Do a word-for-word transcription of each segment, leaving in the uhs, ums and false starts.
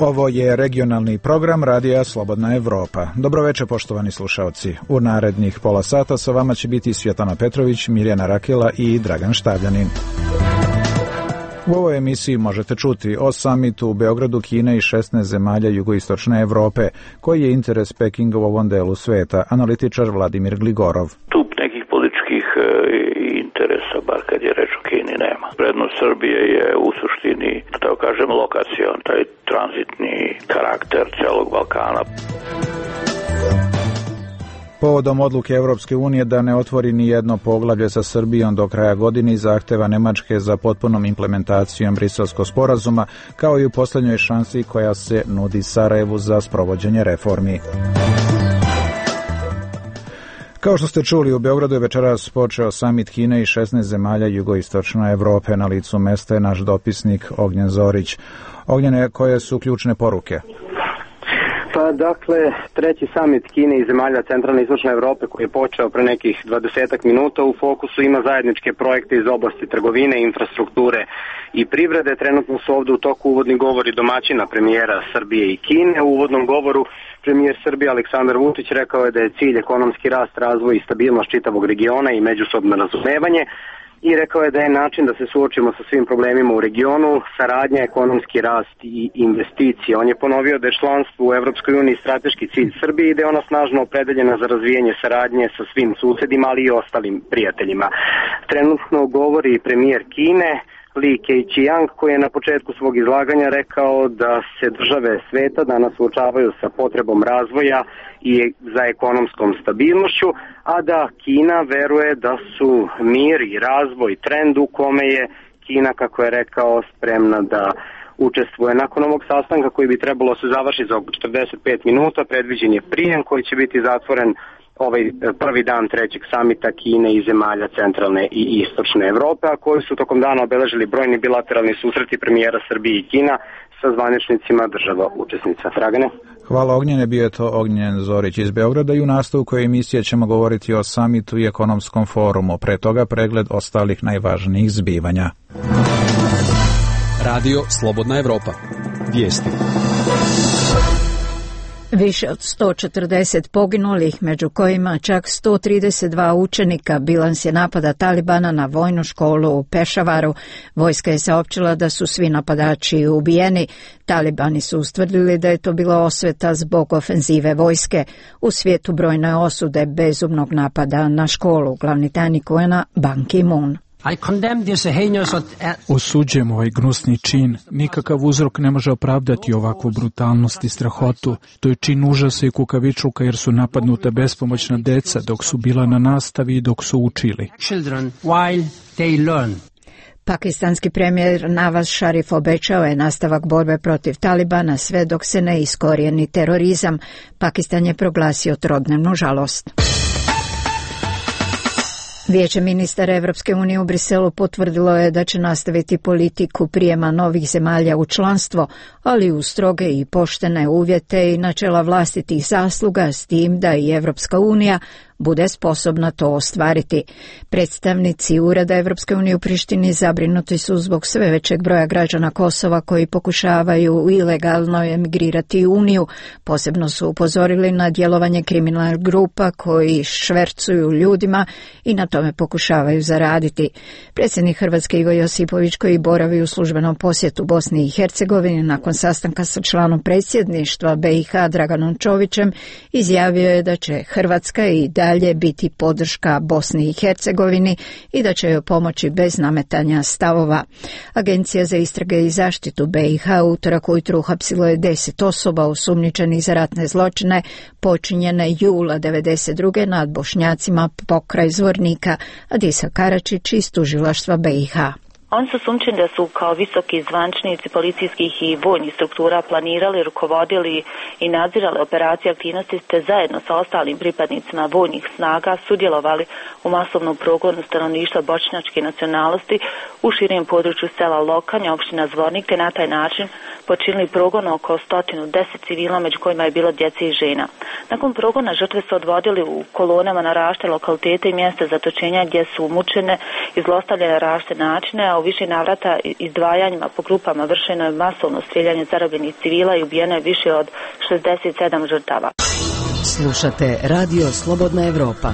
Ovo je regionalni program Radija Slobodna Evropa. Dobroveče, poštovani slušalci. U narednih pola sata sa vama će biti Svjetlana Petrović, Mirjana Rakela i Dragan Štavljanin. U ovoj emisiji možete čuti o samitu u Beogradu Kine i šesnaest zemalja jugoistočne Evrope. Koji je interes Pekinga u ovom delu sveta? Analitičar Vladimir Gligorov. Tu nekih političkih e, interesa, bar kad je reč o Kini, nema. Prednost Srbije je u suštini, da kažem, lokacion, taj tranzitni karakter celog Balkana. Povodom odluke Evropske unije da ne otvori ni jedno poglavlje sa Srbijom do kraja godine i zahteva Nemačke za potpunom implementacijom Briselskog sporazuma, kao i u posljednjoj šansi koja se nudi Sarajevu za sprovođenje reformi. Kao što ste čuli, u Beogradu je večeras počeo samit Kine i šesnaest zemalja jugoistočne Evrope. Na licu mesta je naš dopisnik Ognjen Zorić. Ognjene, koje su ključne poruke? Pa dakle, treći samit Kine i zemalja centralne i istočne Evrope koji je počeo pre nekih dvadesetak minuta u fokusu ima zajedničke projekte iz oblasti trgovine, infrastrukture i privrede. Trenutno su ovdje u toku uvodni govori domaćina premijera Srbije i Kine. U uvodnom govoru premijer Srbije Aleksandar Vučić rekao je da je cilj ekonomski rast, razvoj i stabilnost čitavog regiona i međusobno razumevanje. I rekao je da je način da se suočimo sa svim problemima u regionu saradnja, ekonomski rast i investicije. On je ponovio da je članstvo u Evropskoj uniji strateški cilj Srbije i da je ona snažno opredeljena za razvijanje saradnje sa svim susedima, ali i ostalim prijateljima. Trenutno govori premijer Kine Li Keqiang, koji je na početku svog izlaganja rekao da se države sveta danas suočavaju sa potrebom razvoja i za ekonomskom stabilnošću, a da Kina veruje da su mir i razvoj trend u kome je Kina, kako je rekao, spremna da učestvuje. Nakon ovog sastanka koji bi trebalo se završiti za oko četrdeset pet minuta, predviđen je prijem koji će biti zatvoren ovaj prvi dan trećeg samita Kine i zemalja centralne i istočne Evrope, a koji su tokom dana obeležili brojni bilateralni susreti premijera Srbije i Kina sa zvaničnicima država učesnica. Dragane? Hvala Ognjene, bio je to Ognjen Zorić iz Beograda i u nastavku emisije ćemo govoriti o samitu i ekonomskom forumu. Pre toga pregled ostalih najvažnijih zbivanja. Radio Slobodna Evropa. Vijesti. Više od sto četrdeset poginulih, među kojima čak sto trideset dva učenika, bilans je napada Talibana na vojnu školu u Pešavaru. Vojska je saopćila da su svi napadači ubijeni. Talibani su ustvrdili da je to bila osveta zbog ofenzive vojske. U svijetu brojne osude bezumnog napada na školu. Glavni tajnik U N A Ban Ki-moon. Osuđujem ovaj gnusni čin. Nikakav uzrok ne može opravdati ovakvu brutalnost i strahotu. To je čin užasa i kukavičluka jer su napadnuta bespomoćna deca dok su bila na nastavi i dok su učili. Pakistanski premijer Nawaz Sharif obećao je nastavak borbe protiv Talibana sve dok se ne iskorijeni terorizam. Pakistan je proglasio trodnevnu žalost. Vijeće ministara Evropske unije u Briselu potvrdilo je da će nastaviti politiku prijema novih zemalja u članstvo, ali u stroge i poštene uvjete i načela vlastitih zasluga, s tim da i Evropska unija bude sposobna to ostvariti. Predstavnici Ureda Evropske unije u Prištini zabrinuti su zbog sve većeg broja građana Kosova koji pokušavaju ilegalno emigrirati u Uniju. Posebno su upozorili na djelovanje kriminalnih grupa koji švercuju ljudima i na tome pokušavaju zaraditi. Predsjednik Hrvatske Ivo Josipović, koji boravi u službenom posjetu Bosni i Hercegovini nakon sastanka sa članom predsjedništva B i H Draganom Čovićem, izjavio je da će Hrvatska i dalje biti podrška Bosni i Hercegovini i da će joj pomoći bez nametanja stavova. Agencija za istrage i zaštitu B i H utorak ujutro uhapsilo je deset osoba osumnjičenih za ratne zločine počinjene jula devedeset druge nad Bošnjacima pokraj Zvornika. Adisa Karačić iz tužilaštva B i H. Oni su sumnjičeni da su kao visoki zvaničnici policijskih i vojnih struktura planirali, rukovodili i nadzirali operacije aktivnosti te zajedno sa ostalim pripadnicima vojnih snaga sudjelovali u masovnom progonu stanovništva bošnjačke nacionalnosti u širem području sela Lokanja, opština Zvornik, te na taj način počinili progon oko stotinu deset civila, među kojima je bilo djece i žena. Nakon progona žrtve su odvodili u kolonama na različite lokalitete i mjesta zatočenja gdje su mučene i zlostavljene na različite načine, a u više navrata izdvajanjima po grupama vršeno je masovno strijeljanje zarobljenih civila i ubijeno je više od šezdeset sedam žrtava. Slušate Radio Slobodna Evropa.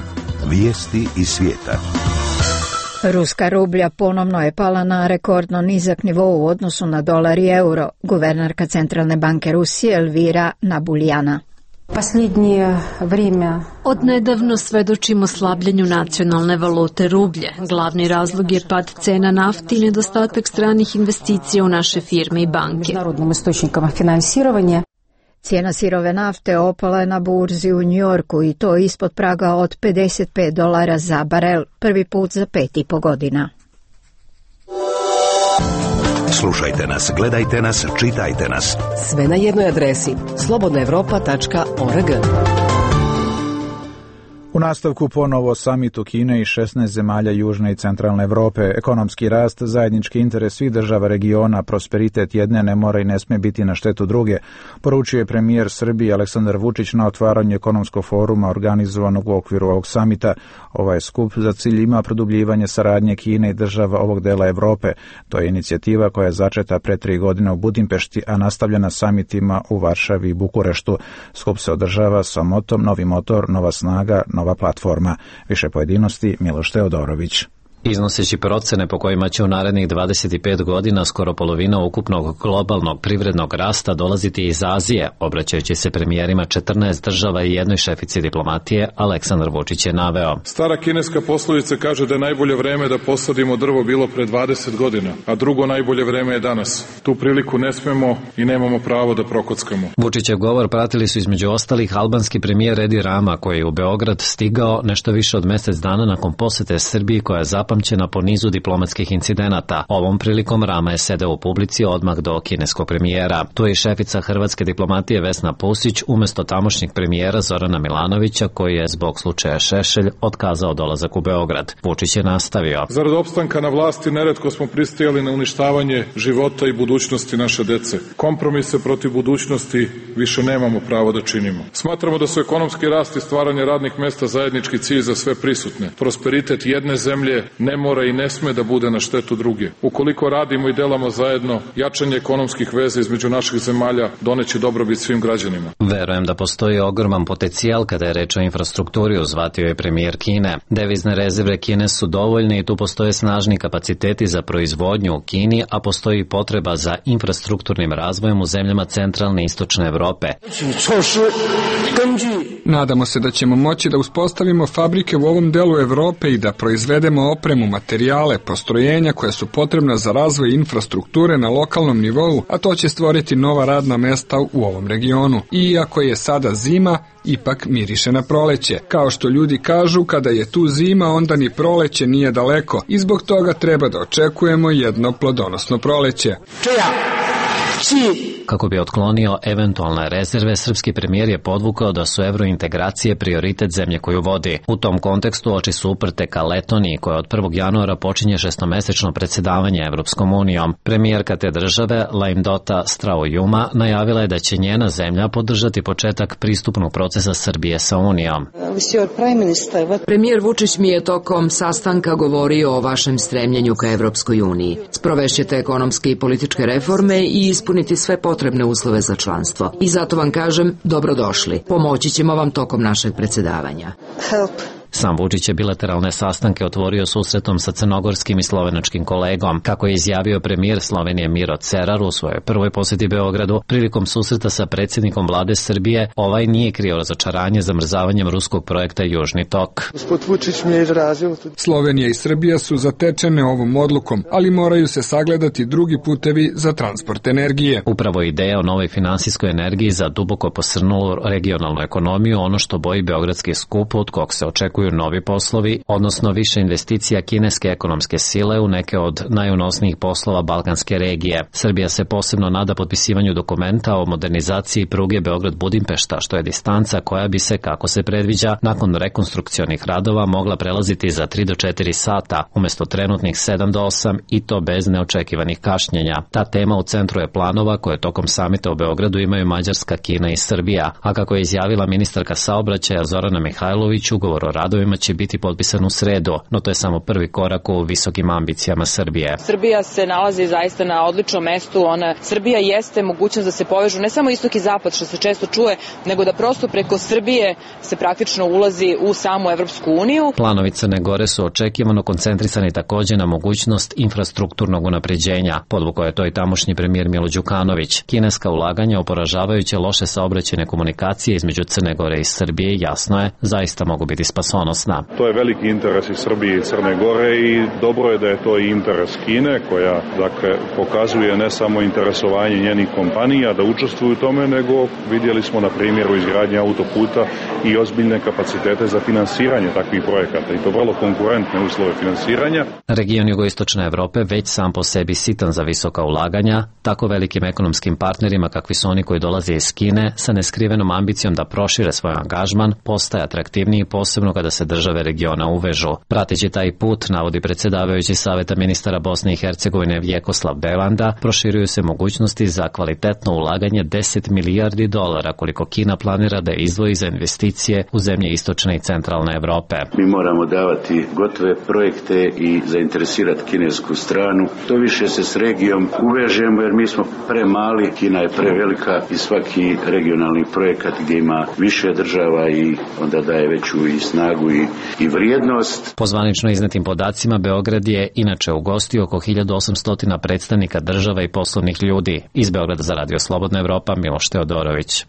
Vijesti iz svijeta. Ruska rublja ponovno je pala na rekordno nizak nivo u odnosu na dolar i euro. Guvernerka Centralne banke Rusije Elvira Nabuljana. Od nedavno svedočimo slabljenju nacionalne valute rublje. Glavni razlog je pad cena nafte i nedostatak stranih investicija u naše firme i banke. Cijena sirove nafte opala je na burzi u Njujorku i to ispod praga od pedeset pet dolara za barel, prvi put za pet i po godina. Slušajte nas, gledajte nas, čitajte nas. Sve na jednoj adresi slobodna evropa tačka org. U nastavku ponovo samitu Kine i šesnaest zemalja Južne i Centralne Evrope. Ekonomski rast, zajednički interes svih država regiona, prosperitet jedne ne mora i ne sme biti na štetu druge, poručio je premijer Srbije Aleksandar Vučić na otvaranju ekonomskog foruma organizovanog u okviru ovog samita. Ovaj skup za cilj ima produbljivanje saradnje Kine i država ovog dela Evrope. To je inicijativa koja je začeta pre tri godine u Budimpešti, a nastavljena samitima u Varšavi i Bukureštu. Skup se održava sa motom Novi motor, nova snaga, nova platforma. Više pojedinosti Miloš Teodorović. Iznoseći procene po kojima će u narednih dvadeset pet godina skoro polovina ukupnog globalnog privrednog rasta dolaziti iz Azije, obraćajući se premijerima četrnaest država i jednoj šefici diplomatije, Aleksandar Vučić je naveo. Stara kineska poslovica kaže da je najbolje vreme da posadimo drvo bilo pre dvadeset godina, a drugo najbolje vreme je danas. Tu priliku ne smemo i nemamo pravo da prokockamo. Vučićev govor pratili su između ostalih albanski premijer Edi Rama, koji je u Beograd stigao nešto više od mjesec dana nakon posete Srbiji koja je zapamćena po nizu diplomatskih incidenata. Ovom prilikom Rama je sedeo u publici odmah do kineskog premijera. Tu je i šefica hrvatske diplomatije Vesna Pusić umjesto tamošnjeg premijera Zorana Milanovića, koji je zbog slučaja Šešelj otkazao dolazak u Beograd. Vučić je nastavio. Zarad opstanka na vlasti neretko smo pristajali na uništavanje života i budućnosti naše dece. Kompromise protiv budućnosti više nemamo pravo da činimo. Smatramo da su ekonomski rast i stvaranje radnih mesta zajednički cilj za sve prisutne. Prosperitet jedne zemlje ne mora i ne sme da bude na štetu druge. Ukoliko radimo i delamo zajedno, jačanje ekonomskih veza između naših zemalja doneće dobrobit svim građanima. Verujem da postoji ogroman potencijal kada je reč o infrastrukturi, uzvatio je premijer Kine. Devizne rezerve Kine su dovoljne i tu postoje snažni kapaciteti za proizvodnju u Kini, a postoji i potreba za infrastrukturnim razvojem u zemljama centralne i istočne Evrope. Nadamo se da ćemo moći da uspostavimo fabrike u ovom delu Evrope i da proizvedemo opremu, materijale, postrojenja koja su potrebna za razvoj infrastrukture na lokalnom nivou, a to će stvoriti nova radna mesta u ovom regionu. I iako je sada zima, ipak miriše na proleće. Kao što ljudi kažu, kada je tu zima, onda ni proleće nije daleko i zbog toga treba da očekujemo jedno plodonosno proleće. Kako bi otklonio eventualne rezerve, srpski premijer je podvukao da su evrointegracije prioritet zemlje koju vodi. U tom kontekstu oči su uprte ka Letoniji, koja od prvog januara počinje šestomesečno predsjedavanje Evropskom unijom. Premijerka te države, Laimdota Straujuma, najavila je da će njena zemlja podržati početak pristupnog procesa Srbije sa Unijom. Premijer Vučić mi je tokom sastanka govorio o vašem stremljenju ka Evropskoj uniji. Sprovešćete ekonomske i političke reforme i ispuniti sve potrebne uslove za članstvo. I zato vam kažem, dobrodošli. Pomoći ćemo vam tokom našeg predsjedavanja. Help. Sam Vučić je bilateralne sastanke otvorio susretom sa crnogorskim i slovenačkim kolegom. Kako je izjavio premijer Slovenije Miro Cerar u svojoj prvoj posjeti Beogradu, prilikom susreta sa predsjednikom vlade Srbije, ovaj nije krio razočaranje zamrzavanjem ruskog projekta Južni tok. Slovenija i Srbija su zatečene ovom odlukom, ali moraju se sagledati drugi putevi za transport energije. Upravo ideja o novoj finansijskoj energiji za duboko posrnulu regionalnu ekonomiju, ono što boji beogradski skup, od kog se očekuju očekuju novi poslovi, odnosno više investicija kineske ekonomske sile u neke od najunosnijih poslova balkanske regije. Srbija se posebno nada potpisivanju dokumenta o modernizaciji pruge Beograd-Budimpešta, što je distanca koja bi se, kako se predviđa, nakon rekonstrukcionih radova mogla prelaziti za tri do četiri sata, umesto trenutnih sedam do osam i to bez neočekivanih kašnjenja. Ta tema u centru je planova koje tokom samita u Beogradu imaju Mađarska, Kina i Srbija, a kako je izjavila ministarka saobraćaja Zorana Mihajlović, ugovor o radovima će biti potpisan u sredu, no to je samo prvi korak u visokim ambicijama Srbije. Srbija se nalazi zaista na odličnom mestu. Ona, Srbija jeste mogućnost da se povežu ne samo istok i zapad, što se često čuje, nego da prosto preko Srbije se praktično ulazi u samu Evropsku uniju. Planovi Crne Gore su očekivano koncentrisani takođe na mogućnost infrastrukturnog unapređenja. Podvukao je to i tamošnji premijer Milo Đukanović. Kineska ulaganja u poražavajuće loše saobraćajne komunikacije između Crne Gore i Srbije, jasno je, zaista mogu biti spasonosna. To je veliki interes i Srbije i Crne Gore i dobro je da je to i interes Kine, koja dakle pokazuje ne samo interesovanje njenih kompanija da učestvuju u tome, nego vidjeli smo na primjeru izgradnje autoputa i ozbiljne kapacitete za finansiranje takvih projekata i to vrlo konkurentne uslove finansiranja. Region jugoistočne Evrope već sam po sebi sitan za visoka ulaganja, tako velikim ekonomskim partnerima kakvi su oni koji dolaze iz Kine sa neskrivenom ambicijom da prošire svoj angažman postaje atraktivniji, posebno kada se države regiona uvežu. Prateći taj put, navodi predsjedavajući Saveta ministara Bosne i Hercegovine Vjekoslav Belanda, proširuju se mogućnosti za kvalitetno ulaganje deset milijardi dolara koliko Kina planira da izdvoji za investicije u zemlje istočne i centralne Evrope. Mi moramo davati gotove projekte i zainteresirati kinesku stranu. To više se s regijom uvežemo jer mi smo premali, Kina je prevelika i svaki regionalni projekat gdje ima više država i onda daje veću i snagu i, i vrijednost. Po zvanično iznetim podacima, Beograd je inače ugostio oko hiljadu osamsto predstavnika država i poslovnih ljudi. Iz Beograda za Radio Slobodna Evropa, Miloš Teodorović.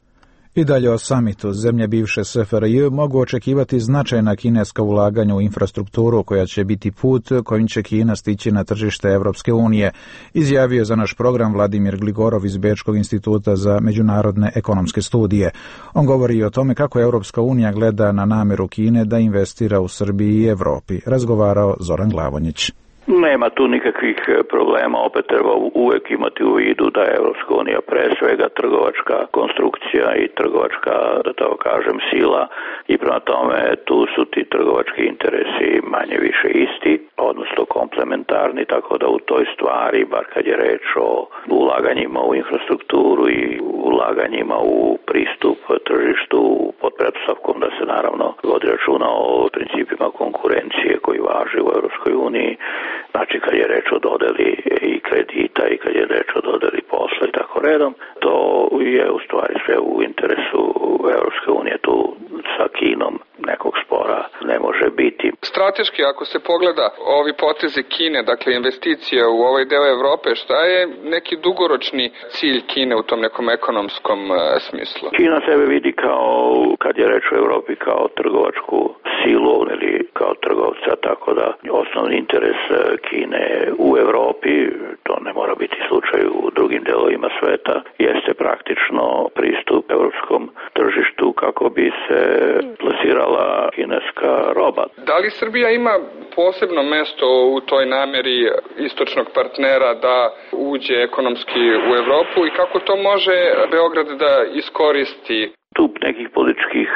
I dalje o samitu. Zemlje bivše S F R J mogu očekivati značajna kineska ulaganja u infrastrukturu koja će biti put kojim će Kina stići na tržište Evropske unije, izjavio za naš program Vladimir Gligorov iz Bečkog instituta za međunarodne ekonomske studije. On govori i o tome kako Evropska unija gleda na nameru Kine da investira u Srbiji i Evropi. Razgovarao Zoran Glavonjić. Nema tu nikakvih problema, opet treba uvek imati u vidu da je Evropska unija pre svega trgovačka konstrukcija i trgovačka, da tako kažem, sila i prema tome tu su ti trgovački interesi manje više isti, odnosno komplementarni, tako da u toj stvari, bar kad je reč o ulaganjima u infrastrukturu i ulaganjima u pristup tržištu pod pretpostavkom da se naravno vodi računa o principima konkurencije koji važe u Evropskoj uniji. Znači kad je reč o dodeli i kredita i kad je reč o dodeli posla i tako redom, to je u stvari sve u interesu Evropske unije. Tu sa Kinom nekog spora ne može biti. Strateški, ako se pogleda ovi potezi Kine, dakle investicije u ovaj deo Evrope, šta je neki dugoročni cilj Kine u tom nekom ekonomskom uh, smislu? Kina sebe vidi kao, kad je reč o Evropi, kao trgovačku silu ili kao trgovca, tako da osnovni interes Kine u Evropi, to ne mora biti slučaj u drugim delovima sveta, jeste praktično pristup evropskom tržištu kako bi se plasirala kineska roba. Da li Srbija ima posebno mesto u toj nameri istočnog partnera da uđe ekonomski u Evropu i kako to može Beograd da iskoristi? Tu nekih političkih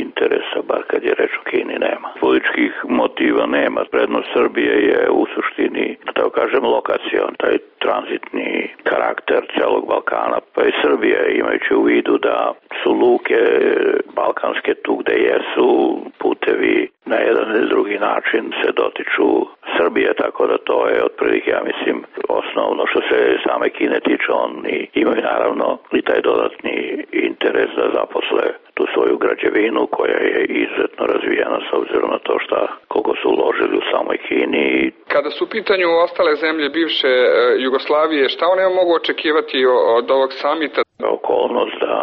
interesa, bar kad je reč o Kini, nema. Političkih motiva nema. Prednost Srbije je u suštini, da tako kažem, lokacion, taj tranzitni karakter celog Balkana. Pa i Srbije, imajući u vidu da su luke balkanske tu gde jesu, putevi na jedan ili drugi način se dotiču Srbije, tako da to je otprilike, ja mislim, osnovno što se same Kine tiče. Oni imaju naravno i taj dodatni interes da zaposle tu svoju građevinu koja je izuzetno razvijena s obzirom na to šta koliko su uložili u samoj Kini. Kada su u pitanju ostale zemlje bivše Jugoslavije, šta one mogu očekivati od ovog samita? Oko okolnost da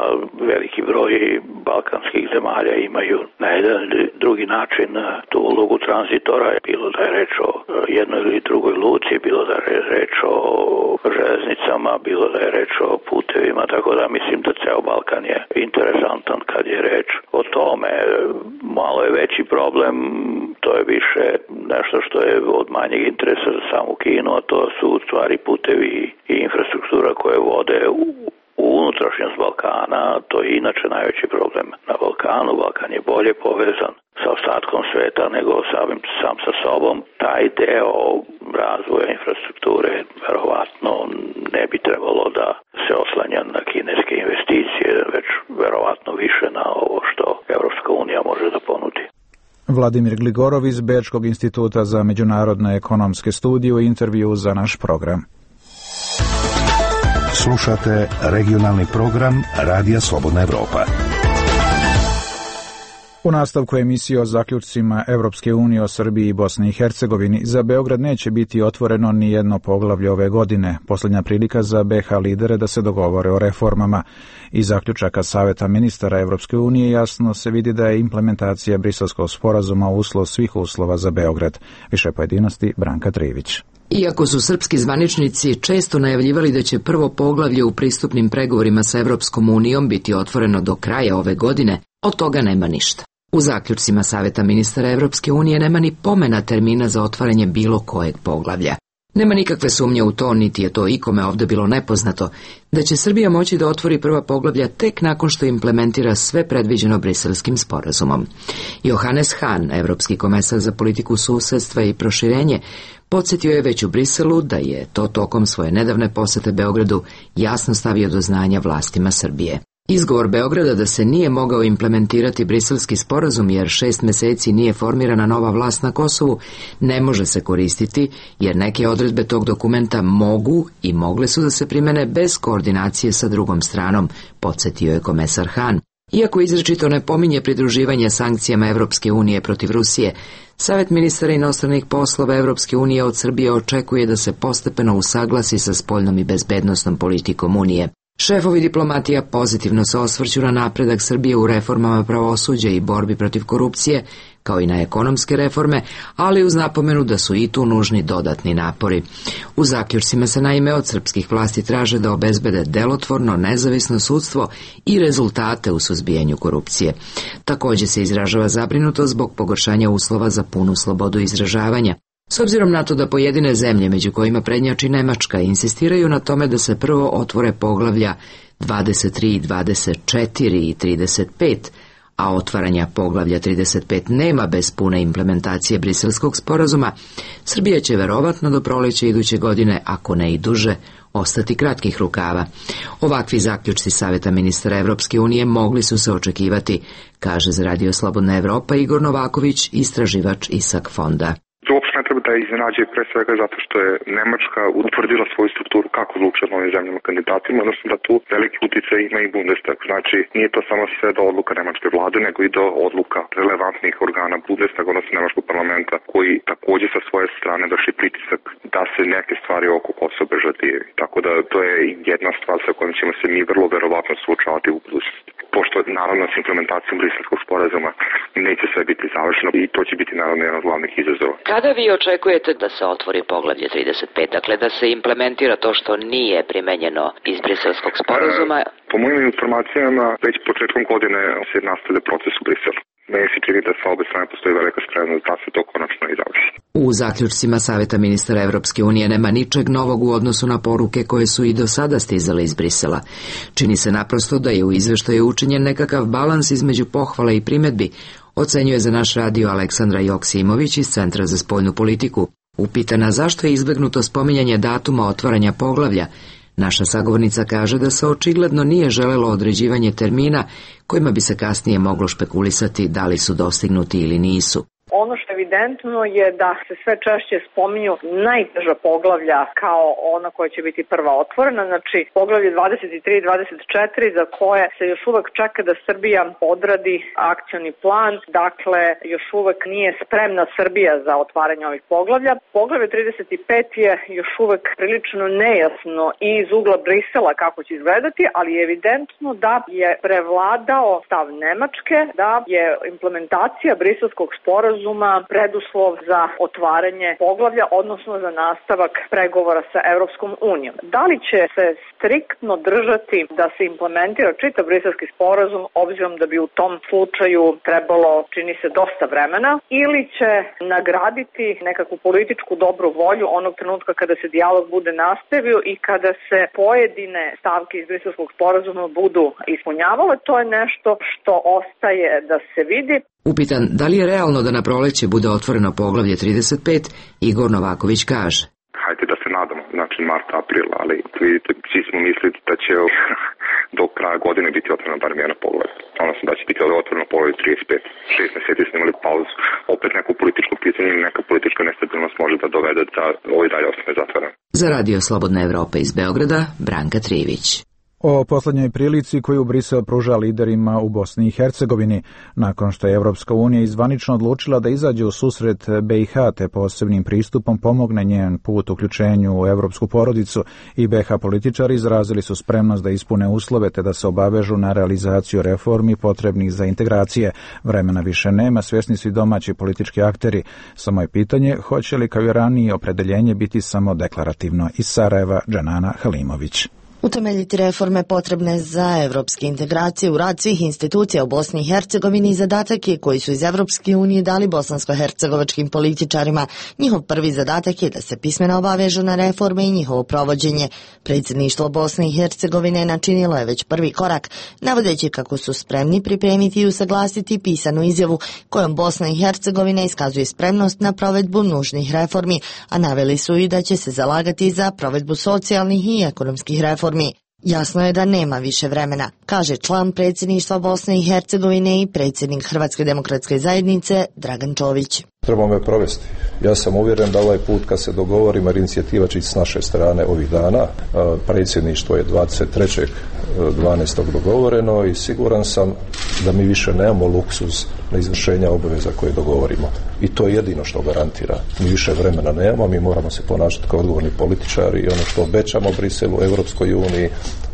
veliki broj balkanskih zemalja imaju na jedan ili drugi način tu ulogu tranzitora, bilo da je reč o jednoj ili drugoj luci, bilo da je reč o železnicama, bilo da je reč o putevima, tako da mislim da ceo Balkan je interesantan kad je reč o tome. Malo je veći problem, to je više nešto što je od manjeg interesa za samu Kinu, a to su u stvari putevi i infrastruktura koje vode u U unutrašnjost Balkana. To je inače najveći problem na Balkanu. Balkan je bolje povezan sa ostatkom sveta nego samim, sam sa sobom. Taj deo razvoja infrastrukture verovatno ne bi trebalo da se oslanja na kineske investicije, već verovatno više na ovo što Evropska unija može da ponudi. Vladimir Gligorov iz Bečkog instituta za međunarodne ekonomske studije u intervju za naš program. Slušate regionalni program Radija Slobodna Evropa. U nastavku emisije o zaključcima Evropske unije o Srbiji i Bosni i Hercegovini, za Beograd neće biti otvoreno ni jedno poglavlje ove godine, posljednja prilika za be ha lidere da se dogovore o reformama. Iz zaključaka Saveta ministara Evropske unije jasno se vidi da je implementacija Briselskog sporazuma uslov svih uslova za Beograd. Više pojedinosti Branka Trivić. Iako su srpski zvaničnici često najavljivali da će prvo poglavlje u pristupnim pregovorima sa Evropskom unijom biti otvoreno do kraja ove godine, od toga nema ništa. U zaključcima Saveta ministara Evropske unije nema ni pomena termina za otvaranje bilo kojeg poglavlja. Nema nikakve sumnje u to, niti je to ikome ovdje bilo nepoznato, da će Srbija moći da otvori prva poglavlja tek nakon što implementira sve predviđeno Briselskim sporazumom. Johannes Hahn, evropski komesar za politiku susedstva i proširenje, podsjetio je već u Briselu da je to tokom svoje nedavne posete Beogradu jasno stavio do znanja vlastima Srbije. Izgovor Beograda da se nije mogao implementirati Briselski sporazum jer šest meseci nije formirana nova vlast na Kosovu ne može se koristiti jer neke odredbe tog dokumenta mogu i mogle su da se primene bez koordinacije sa drugom stranom, podsjetio je komesar Hahn. Iako izričito ne pominje pridruživanje sankcijama Evropske unije protiv Rusije, Savet ministara inostranih poslova Evropske unije od Srbije očekuje da se postepeno usaglasi sa spoljnom i bezbednosnom politikom Unije. Šefovi diplomatija pozitivno se osvrću na napredak Srbije u reformama pravosuđa i borbi protiv korupcije, kao i na ekonomske reforme, ali uz napomenu da su i tu nužni dodatni napori. U zaključcima se naime od srpskih vlasti traže da obezbede delotvorno, nezavisno sudstvo i rezultate u suzbijanju korupcije. Također se izražava zabrinutost zbog pogoršanja uslova za punu slobodu izražavanja. S obzirom na to da pojedine zemlje, među kojima prednjači Nemačka, insistiraju na tome da se prvo otvore poglavlja dvadeset tri, dvadeset četiri i trideset pet, a otvaranja poglavlja trideset pet nema bez pune implementacije Briselskog sporazuma, Srbija će verovatno do proleća iduće godine, ako ne i duže, ostati kratkih rukava. Ovakvi zaključci Saveta ministara Evropske unije mogli su se očekivati, kaže za Radio Slobodna Evropa Igor Novaković, istraživač ISAK fonda. To uopšte ne treba da iznenađuje pre svega zato što je Nemačka utvrdila svoju strukturu kako odlučuje o novim zemljama kandidatima, odnosno da tu veliki uticaj ima i Bundestag. Znači, nije to samo sve do odluka nemačke vlade, nego i do odluka relevantnih organa Bundestaga, odnosno nemačkog parlamenta, koji također sa svoje strane vrši pritisak da se neke stvari oko Kosova bežatije. Tako da to je jedna stvar sa kojom ćemo se mi vrlo verovatno suočavati u budućnosti. Pošto naravno s implementacijom Briselskog sporazuma neće sve biti završeno i to će biti naravno jedan od glavnih izazova. Kada vi očekujete da se otvori poglavlje trideset pet, dakle da se implementira to što nije primenjeno iz Briselskog sporazuma? E, po mojim informacijama, već početkom godine se nastavlja proces u Briselu. Meni se čini da sa obe strane postoji velika spremnost da se to konačno i završi. U zaključcima Saveta ministara Evropske unije nema ničeg novog u odnosu na poruke koje su i do sada stizale iz Brisela. Čini se naprosto da je u izveštaju učinjen nekakav balans između pohvala i primedbi, ocenjuje za naš radio Aleksandra Joksimović iz Centra za spoljnu politiku. Upitana zašto je izbegnuto spominjanje datuma otvaranja poglavlja, naša sagovornica kaže da se očigledno nije želelo određivanje termina kojima bi se kasnije moglo špekulisati da li su dostignuti ili nisu. Ono što je evidentno je da se sve češće spominju najteža poglavlja kao ona koja će biti prva otvorena, znači poglavlje dvadeset tri i dvadeset četiri za koje se još uvek čeka da Srbija odradi akcioni plan, dakle još uvek nije spremna Srbija za otvaranje ovih poglavlja. Poglavlje trideset pet je još uvek prilično nejasno i iz ugla Brisela kako će izgledati, ali je evidentno da je prevladao stav Nemačke, da je implementacija briselskog sporazuma preduslov za otvaranje poglavlja, odnosno za nastavak pregovora sa Evropskom unijom. Da li će se striktno držati da se implementira čitav briselski sporazum, obzirom da bi u tom slučaju trebalo, čini se, dosta vremena, ili će nagraditi nekakvu političku dobru volju onog trenutka kada se dijalog bude nastavio i kada se pojedine stavke iz briselskog sporazuma budu ispunjavale, to je nešto što ostaje da se vidi. Upitan da li je realno da na proleće bude otvoreno poglavlje trideset pet, Igor Novaković kaže: Hajde da se nadamo, znači mart, april, ali vidite, svi smo mislili da će do kraja godine biti otvoreno bar jedno poglavlje. Odnosno da će biti otvoreno poglavlje trideset pet. Šest meseci smo imali pauzu. Opet neko političko pitanje ili neka politička nestabilnost može da dovede da ovo i dalje ostane zatvoreno. Za Radio Slobodna Evropa iz Beograda, Branka Trivić. O poslednjoj prilici koju Brisel pruža liderima u Bosni i Hercegovini, nakon što je Evropska unija izvanično odlučila da izađe u susret B i H te posebnim pristupom pomogne njen put uključenju u evropsku porodicu, i B H političari izrazili su spremnost da ispune uslove te da se obavežu na realizaciju reformi potrebnih za integracije. Vremena više nema, svjesni su i domaći politički akteri. Samo je pitanje hoće li kao i ranije opredeljenje biti samo deklarativno. Iz Sarajeva, Džanana Halimović. Utemeljiti reforme potrebne za evropske integracije u rad svih institucija u Bosni i Hercegovini i zadatak je koji su iz Evropske unije dali bosansko-hercegovačkim političarima. Njihov prvi zadatak je da se pismeno obavežu na reforme i njihovo provođenje. Predsjedništvo Bosne i Hercegovine načinilo je već prvi korak, navodeći kako su spremni pripremiti i usaglasiti pisanu izjavu kojom Bosna i Hercegovina iskazuje spremnost na provedbu nužnih reformi, a naveli su i da će se zalagati za provedbu socijalnih i ekonomskih reformi. Jasno je da nema više vremena, kaže član predsjedništva Bosne i Hercegovine i predsjednik Hrvatske demokratske zajednice Dragan Čović. Trebamo je provesti. Ja sam uvjeren da ovaj put kad se dogovorimo, jer inicijativa će s naše strane ovih dana, predsjedništvo je dvadeset trećeg dvanaestog dogovoreno i siguran sam da mi više nemamo luksuz na izvršenja obaveza koje dogovorimo. I to je jedino što garantira. Mi više vremena nemamo, mi moramo se ponašati kao odgovorni političari i ono što obećamo Briselu, Evropskoj uniji,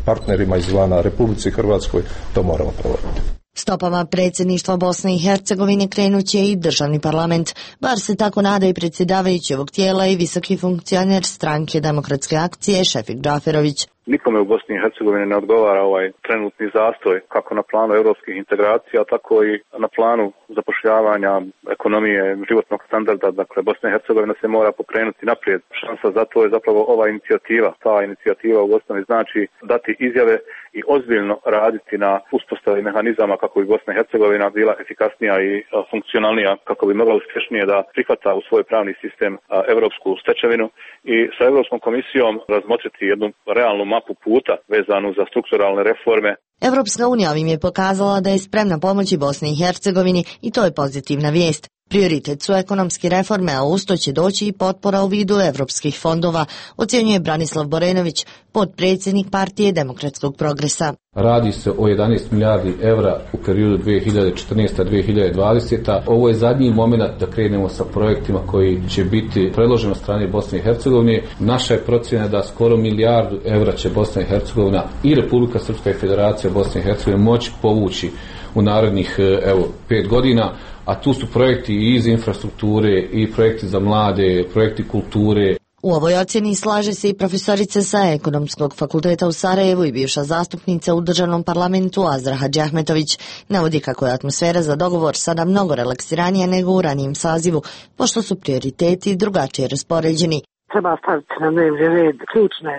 partnerima izvana, Republici Hrvatskoj, to moramo provoditi. Stopama predsjedništva Bosne i Hercegovine krenuće i državni parlament, bar se tako nada i predsjedavajući ovog tijela i visoki funkcioner stranke Demokratske akcije Šefik Džaferović. Nikome u Bosni i Hercegovini ne odgovara ovaj trenutni zastoj, kako na planu europskih integracija, tako i na planu zapošljavanja, ekonomije, životnog standarda. Dakle, Bosna i Hercegovina se mora pokrenuti naprijed. Šansa za to je zapravo ova inicijativa. Ta inicijativa u osnovi znači dati izjave i ozbiljno raditi na uspostavi mehanizama kako bi Bosna i Hercegovina bila efikasnija i funkcionalnija, kako bi mogla uspješnije da prihvata u svoj pravni sistem evropsku stečevinu i sa Evropskom komisijom razmotriti jednu realnu mapu puta vezanu za strukturalne reforme. Evropska unija ovim je pokazala da je spremna pomoći Bosni i Hercegovini i to je pozitivna vijest. Prioritet su ekonomske reforme, a usto će doći i potpora u vidu evropskih fondova, ocjenjuje Branislav Borenović, potpredsjednik Partije demokratskog progresa. Radi se o jedanaest milijardi evra u periodu dvije hiljade četrnaeste do dvije hiljade dvadesete. Ovo je zadnji moment da krenemo sa projektima koji će biti predloženi od strane Bosne i Hercegovine. Naša je procjena da skoro milijardu evra će Bosna i Hercegovina i Republika Srpska i Federacija Bosne i Hercegovine moći povući u narednih evo, pet godina, a tu su projekti i iz infrastrukture i projekti za mlade, projekti kulture. U ovoj ocjeni slaže se i profesorica sa Ekonomskog fakulteta u Sarajevu i bivša zastupnica u državnom parlamentu Azra Hadžiahmetović. Navodi kako je atmosfera za dogovor sada mnogo relaksiranija nego u ranijem sazivu, pošto su prioriteti drugačije raspoređeni. Treba staviti na dnevni red ključne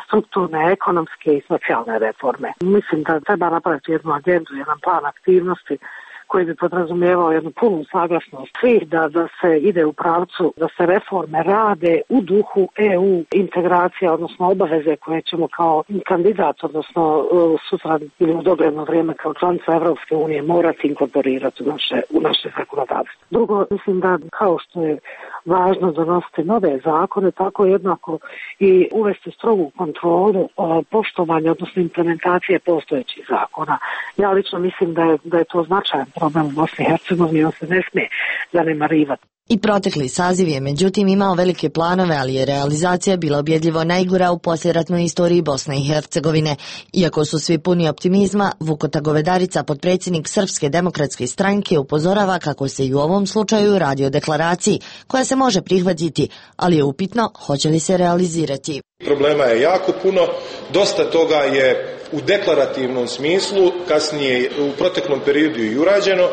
strukturne, ekonomske i socijalne reforme. Mislim da treba napraviti jednu agendu, jedan plan aktivnosti koji bi podrazumijevao jednu punu saglasnost svih da, da se ide u pravcu, da se reforme rade u duhu E U integracija, odnosno obaveze koje ćemo kao kandidat, odnosno sutra ili u dogledno vrijeme kao članica Evropske unije morati inkorporirati u naše, u naše zakonodavstvo. Drugo, mislim da kao što je važno donositi nove zakone, tako jednako i uvesti strogu kontrolu poštovanja, odnosno implementacije postojećih zakona. Ja lično mislim da je, da je to značajan problem u Bosni i Hercegovini, on se ne smije zanemarivati. I protekli saziv je međutim imao velike planove, ali je realizacija bila objedljivo najgora u poslijeratnoj istoriji Bosne i Hercegovine. Iako su svi puni optimizma, Vukota Govedarica, potpredsjednik Srpske demokratske stranke, upozorava kako se i u ovom slučaju radi o deklaraciji koja se može prihvatiti, ali je upitno hoće li se realizirati. Problema je jako puno, dosta toga je u deklarativnom smislu, kasnije u proteklom periodu i urađeno,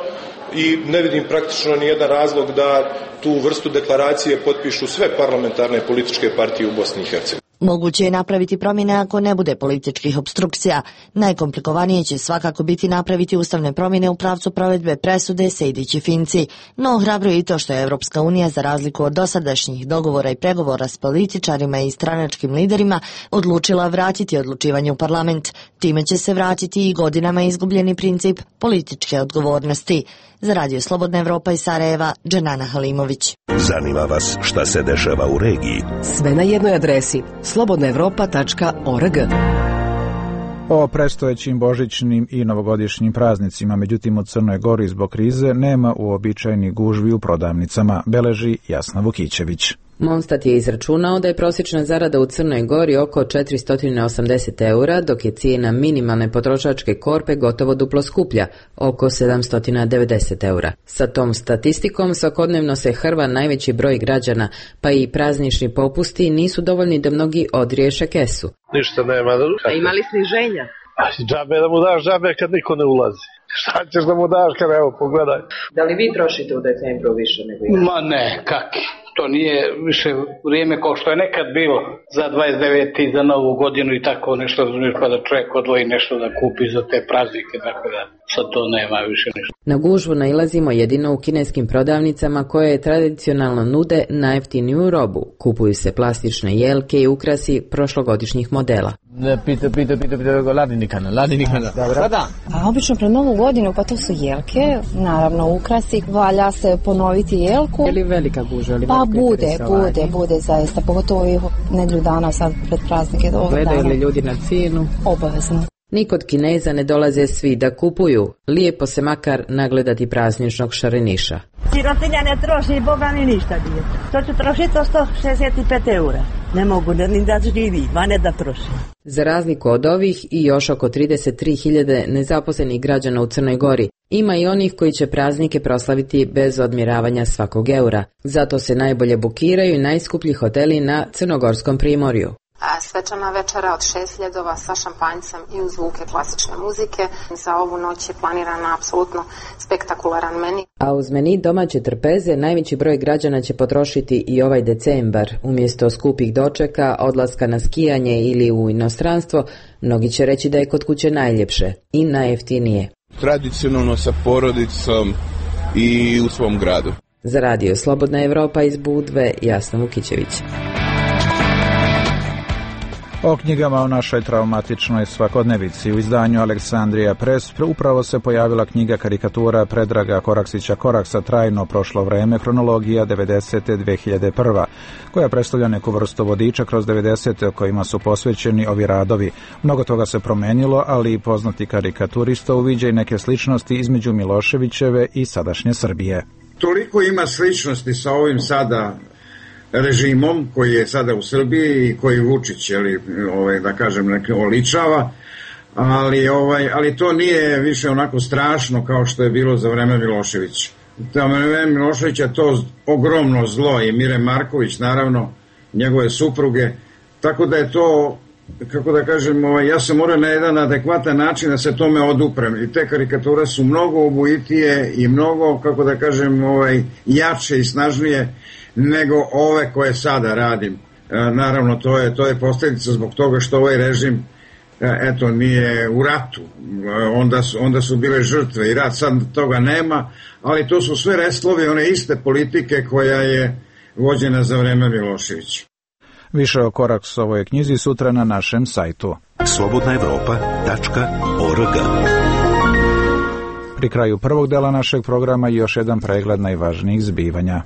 i ne vidim praktično ni jedan razlog da tu vrstu deklaracije potpišu sve parlamentarne političke partije u Bosni i Hercegovini. Moguće je napraviti promjene ako ne bude političkih opstrukcija. Najkomplikovanije će svakako biti napraviti ustavne promjene u pravcu provedbe presude Sejdić i Finci. No hrabro je i to što je Evropska unija, za razliku od dosadašnjih dogovora i pregovora s političarima i stranačkim liderima, odlučila vratiti odlučivanje u parlament. Time će se vratiti i godinama izgubljeni princip političke odgovornosti. Za Radio Slobodna Evropa iz Sarajeva, Dženana Halimović. Zanima vas šta se dešava u regiji? Sve na jednoj adresi slobodna evropa tačka org. O predstojećim božićnim i novogodišnjim praznicima, međutim u Crnoj Gori zbog krize nema uobičajenih gužvi u prodavnicama, beleži Jasna Vukićević. Monstat je izračunao da je prosječna zarada u Crnoj Gori oko četiristo osamdeset eura, dok je cijena minimalne potrošačke korpe gotovo duplo skuplja, oko sedamsto devedeset eura. Sa tom statistikom svakodnevno se hrva najveći broj građana, pa i praznični popusti nisu dovoljni da mnogi odriješe kesu. Ništa nema. A ima li sniženja? Džabe da mu daš džabe kad niko ne ulazi. Šta ćeš da mu daš kad, evo, pogledaj. Da li vi trošite u decembru više nego ja? Ma ne, kaki. To nije više vrijeme kao što je nekad bilo za dvadeset devete i za novu godinu i tako nešto, pa da čovjek odvoji nešto da kupi za te praznike, tako da sad to nema više ništa. Na gužvu nailazimo jedino u kineskim prodavnicama koje tradicionalno nude najjeftiniju robu. Kupuju se plastične jelke i ukrasi prošlogodišnjih modela. Ne, pita, pita, pita, pita, ladinikana, ladinikana. Dobro. Da. A obično pred novu godinu, pa to su jelke, naravno ukrasi, valja se ponoviti jelku. Je li velika gužva? Pa bude, bude, bude zaista, pogotovo i nedjelju dana sad pred praznike. Gledaju li ljudi na cijenu? Obavezno. Ni kod Kineza ne dolaze svi da kupuju, lijepo se makar nagledati prazničnog šareniša. Sirotinja ne troši, Boga mi ništa nije. To ću trošiti sto šezdeset pet eura. Ne mogu ni da živi, a ne da troši. Za razliku od ovih i još oko trideset tri hiljade nezaposlenih građana u Crnoj Gori, ima i onih koji će praznike proslaviti bez odmjeravanja svakog eura. Zato se najbolje bukiraju i najskuplji hoteli na crnogorskom primorju. Svečana večera od šest ljedova sa šampanjcem i uz zvuke klasične muzike. Za ovu noć je planirana apsolutno spektakularan meni. A uz meni domaće trpeze najveći broj građana će potrošiti i ovaj decembar. Umjesto skupih dočeka, odlaska na skijanje ili u inostranstvo, mnogi će reći da je kod kuće najljepše i najjeftinije. Tradicionalno sa porodicom i u svom gradu. Za Radio Slobodna Evropa iz Budve, Jasna Vukićević. O knjigama u našoj traumatičnoj svakodnevici. U izdanju Aleksandrija Press upravo se pojavila knjiga karikatura Predraga Koraksića Koraksa Trajno prošlo vreme, hronologija devedesete do dve hiljade prve. koja predstavlja neku vrstu vodiča kroz devedesete kojima su posvećeni ovi radovi. Mnogo toga se promenilo, ali i poznati karikaturista uviđa i neke sličnosti između Miloševićeve i sadašnje Srbije. Toliko ima sličnosti sa ovim sada režimom koji je sada u Srbiji i koji Vučić, jeli, ovaj, da kažem, neki oličava, ali, ovaj, ali to nije više onako strašno kao što je bilo za vreme Miloševića. Za vreme Miloševića to ogromno zlo i Mire Marković, naravno, njegove supruge, tako da je to, kako da kažem, ovaj, ja sam morao na jedan adekvatan način da se tome oduprem i te karikature su mnogo obujitije i mnogo, kako da kažem, ovaj, jače i snažnije nego ove koje sada radim. E, naravno, to je, to je posljedica zbog toga što ovaj režim eto, nije u ratu, onda su, onda su bile žrtve i rat, sad toga nema, ali to su sve restlovi one iste politike koja je vođena za vreme Miloševića. Više o Koraks ovoj knjizi sutra na našem sajtu slobodna evropa tačka org. Pri kraju prvog dela našeg programa još jedan pregled najvažnijih zbivanja.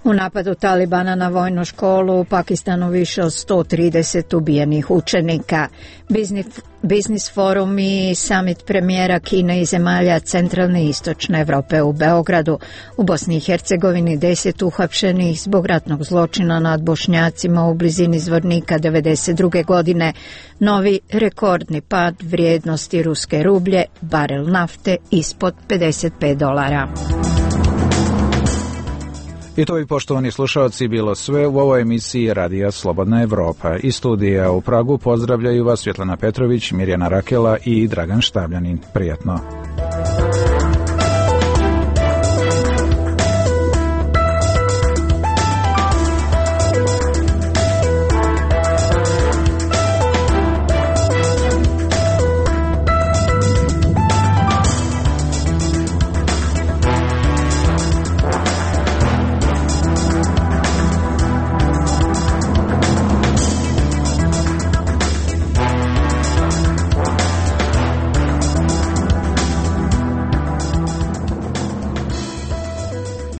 U napadu Talibana na vojnu školu u Pakistanu više od sto trideset ubijenih učenika. Biznis, biznis forum i summit premijera Kine i zemalja centralne i istočne Evrope u Beogradu. U Bosni i Hercegovini deset uhapšenih zbog ratnog zločina nad Bošnjacima u blizini Zvornika devedeset druge godine. Novi rekordni pad vrijednosti ruske rublje, barel nafte ispod pedeset pet dolara. I to bi, poštovani slušalci, bilo sve u ovoj emisiji Radija Slobodna Evropa. Iz studija u Pragu pozdravljaju vas Svjetlana Petrović, Mirjana Rakela i Dragan Štavljanin. Prijatno.